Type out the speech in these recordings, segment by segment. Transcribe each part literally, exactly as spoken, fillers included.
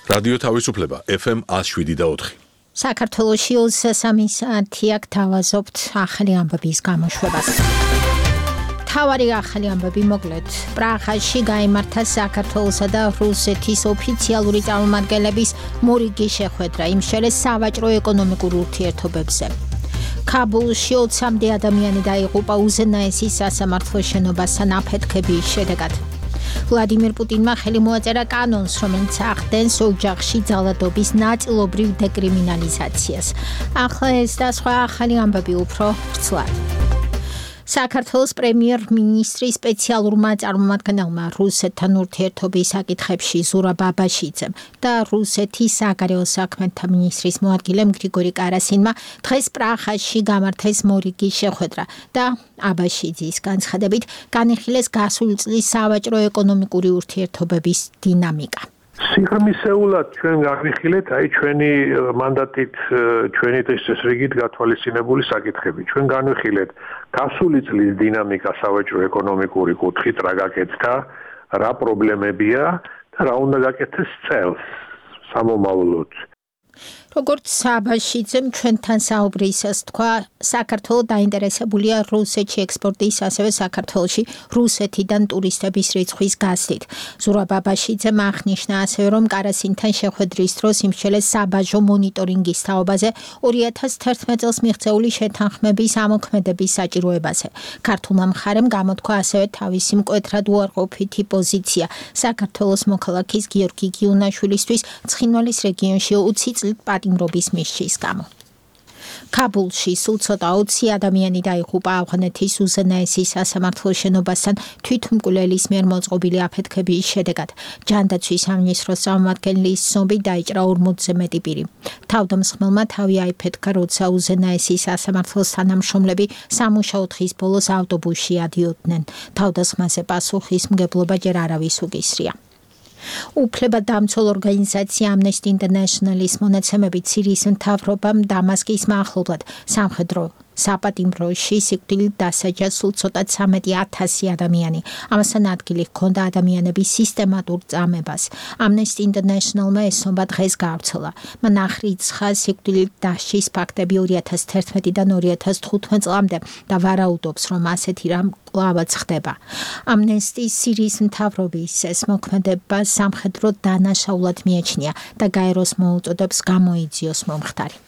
რადიო თავისუფლება ეფ ემ one oh seven point four. საქართველოში ოცდასამი საათი აქ თავაზობთ ახალი ამბების გამოშვებას. თავარი ახალი ამბები მოკლედ. პრაღაში გაიმართა საქართველოსა და რუსეთის ოფიციალური წარმომადგენლების მორიგი შეხვედრა იმ შელეს სავაჭრო-ეკონომიკურ ურთიერთობებზე. ქაბულში ოცამდე ადამიანი დაიღუპა უზენაესი სასამართლო შენობასთან აფეთქების შედეგად. ვლადიმერ პუტინმა ხელი მოაწერა კანონს, რომელიც ახდენს ოჯახში ძალადობის ნაწილობრივ დეკრიმინალიზაციას. ახლა ეს და სხვა ახალი ამბები უფრო ვრცლად. საქართველოს პრემიერ-მინისტრის სპეციალურმა წარმომადგენელმა რუსეთთან ურთიერთობის საკითხებში ზურაბ აბაშიძემ და რუსეთის საგარეო საქმეთა მინისტრის მოადგილემ გრიგორი კარასინმა დღეს პრაღაში გამართეს მორიგი შეხვედრა და აბაშიძის განცხადებით განიხილეს გასული წლის სავაჭრო-ეკონომიკური ურთიერთობების დინამიკა. სიღრმისეულად ჩვენ განვიხილეთ აი ჩვენი მანდატით ჩვენი წესრიგით გათვალისწინებული საკითხები. ჩვენ განვიხილეთ გასული წლის დინამიკა სავაჭრო-ეკონომიკური კუთხით რა გაკეთდა, რა პრობლემებია და რა უნდა გაკეთდეს წელს სამომავლოდ. როგორც აბაშიძემ ჩვენთან საუბრისას თქვა, საქართველო დაინტერესებულია რუსეთში ექსპორტის, ასევე საქართველოში რუსეთიდან ტურისტების რიცხვის გაზრდით. ზურაბ აბაშიძემ აღნიშნა ასევე, რომ კარასინთან შეხვედრის დროს იმსჩელეს საბაჟო მონიტორინგის თაობაზე ორი ათას თერთმეტ წელს მიღწეული შეთანხმების ამოქმედების საჭიროებაზე. ქართულმა მხარემ გამოთქვა ასევე თავისი მკვეთრად უარყოფითი პოზიცია საქართველოს მოქალაქის გიორგი გიუნაშვილისთვის ცხინვალის რეგიონში ოცი წლით პატიმრობის მისჯის გამო. ქაბულში სულ ცოტა ოცი ადამიანი დაიღუპა ავღანეთის უზენაესი სასამართლო შენობასთან თვითმკვლელის მიერ მოწყობილი აფეთქების შედეგად. ჯანდაცვის სამინისტროს წარმომადგენლის ცნობით დაიჭრა ორმოცზე მეტი პირი. თავდამსხმელმა თავი აიფეთქა, როცა უზენაესი სასამართლოს თანამშრომლები სამუშაო დღის ბოლოს ავტობუსში ადიოდნენ. თავდასხმაზე პასუხისმგებლობა ჯერ არავის უკისრია. უფლებადამცველ ორგანიზაცია Amnesty International-ის მონაცემებით სირიის მთავრობამ დამასკის მახლობლად სამხედრო საპატიმროში სიკვდილით დასაჯა სულ ცოტა ცამეტი ათასი ადამიანი. ამასთან ადგილი ჰქონდა ადამიანების სისტემატურ წამებას. Amnesty International-მა ესწრება დღეს გავრცელა. მან აღრიცხა სიკვდილით დასჯის ფაქტები ორი ათას თერთმეტიდან ორი ათას თხუთმეტ წლამდე და ვარაუდობს, რომ ასეთი რამ კვლავაც ხდება. Amnesty სირიის მთავრობის ეს მოქმედება სამხედრო დანაშაულად მიაჩნია და გაეროს მოუწოდებს გამოიძიოს მომხდარი.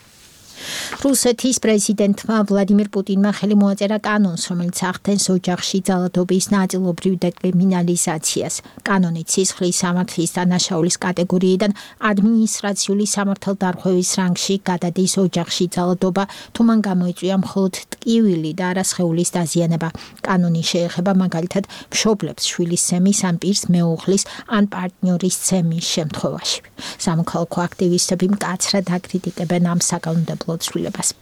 რუსეთის პრეზიდენტმა ვლადიმერ პუტინმა ხელი მოაწერა კანონს, რომელიც ახდენს ოჯახში ძალადობის ნაწილობრივ დეკრიმინალიზაციას. კანონი სისხლის სამართლის დანაშაულის კატეგორიიდან ადმინისტრაციული სამართალდარღვევის რანგში გადადის ოჯახში ძალადობა, თუ მან გამოიწვია მხოლოდ ტკივილი და არა სხეულის დაზიანება. კანონი შეეხება მაგალითად მშობლებს შვილის ცემის ან პირს მეუღლის ან პარტნიორის ცემის შემთხვევაში. სამოქალაქო აქტივისტები მკაცრად აკრიტიკებენ ამ საკანონმდებლო ცვლილებას.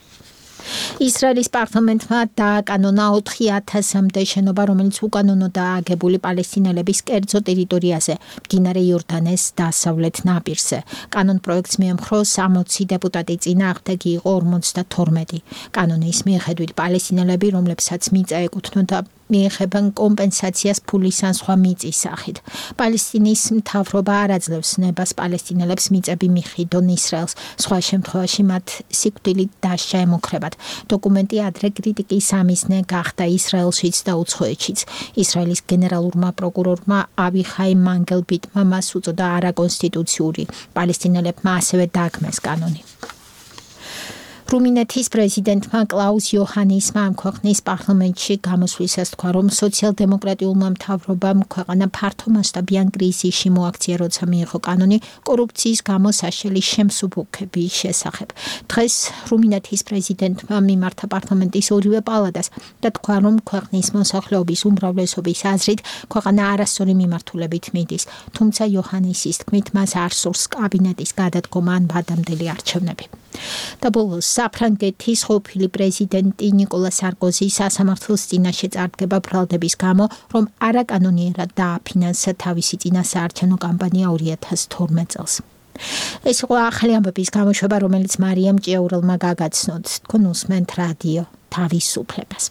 ისრაელის პარლამენტმა დააკანონა ოთხი ათასამდე შენობა, რომელიც უკანონოდაა აგებული პალესტინელების კერძო ტერიტორიაზე, მდინარე იორდანეს დასავლეთ ნაპირზე. კანონ პროექტს მიემხრო სამოცი დეპუტატი, წინააღმდეგი იყო ორმოცდათორმეტი. კანონის მიხედვით პალესტინელები, რომლებსაც მიწა ეკუთვნოდა, მიეხებენ კომპენსაციას ფულის ან სხვა მიწის სახით. პალესტინის მთავრობა არ აძლევს ნებას პალესტინელებს მიწები მიხიდონ ისრაელს, სხვა შემთხვევაში მათ სიკვდილით დასჯა ემუქრებათ. დოკუმენტი ადრე კრიტიკის სამიზნე გახდა ისრაელშიც და უცხოეთშიც. ისრაელის გენერალურმა პროკურორმა ავიხაი მანგელბიტმა მას უწოდა არაკონსტიტუციური. პალესტინელებმა ასევე დაგმეს კანონი. რუმინეთის პრეზიდენტმა კლაუს იოჰანისმა ამ ქვეყნის პარლამენტში გამოსვლისას თქვა, რომ სოციალ-დემოკრატიულმა მთავრობამ ქვეყანა ფართომასშტაბიან კრიზისში მოაქცია, როცა მიიღო კანონი კორუფციის გამო საშელი შემსუბუქების შესახებ. დღეს რუმინეთის პრეზიდენტმა მიმართა პარლამენტის ორივე პალატას და თქვა, რომ ქვეყნის მოსახლეობის უმრავლესობის აზრით ქვეყანა არასწორი მიმართულებით მიდის, თუმცა იოჰანისის თქმით მას არ სურს კაბინეტის გადადგომა ან ვადამდელი არჩევნები. და ბოლოს საფრანგეთის ყოფილი პრეზიდენტი ნიკოლა სარკოზი სასამართლოს წინაშე წარდგება ბრალდების გამო, რომ არაკანონიერად დააფინანსა თავისი წინასაარჩევნო კამპანია ორი ათას თორმეტ წელს. ეს იყო ახალი ამბების გამოშვება, რომელიც მარიამ ჭიაურელმა გაგაცნოთ. თქვენ უსმენთ რადიო თავისუფლებას.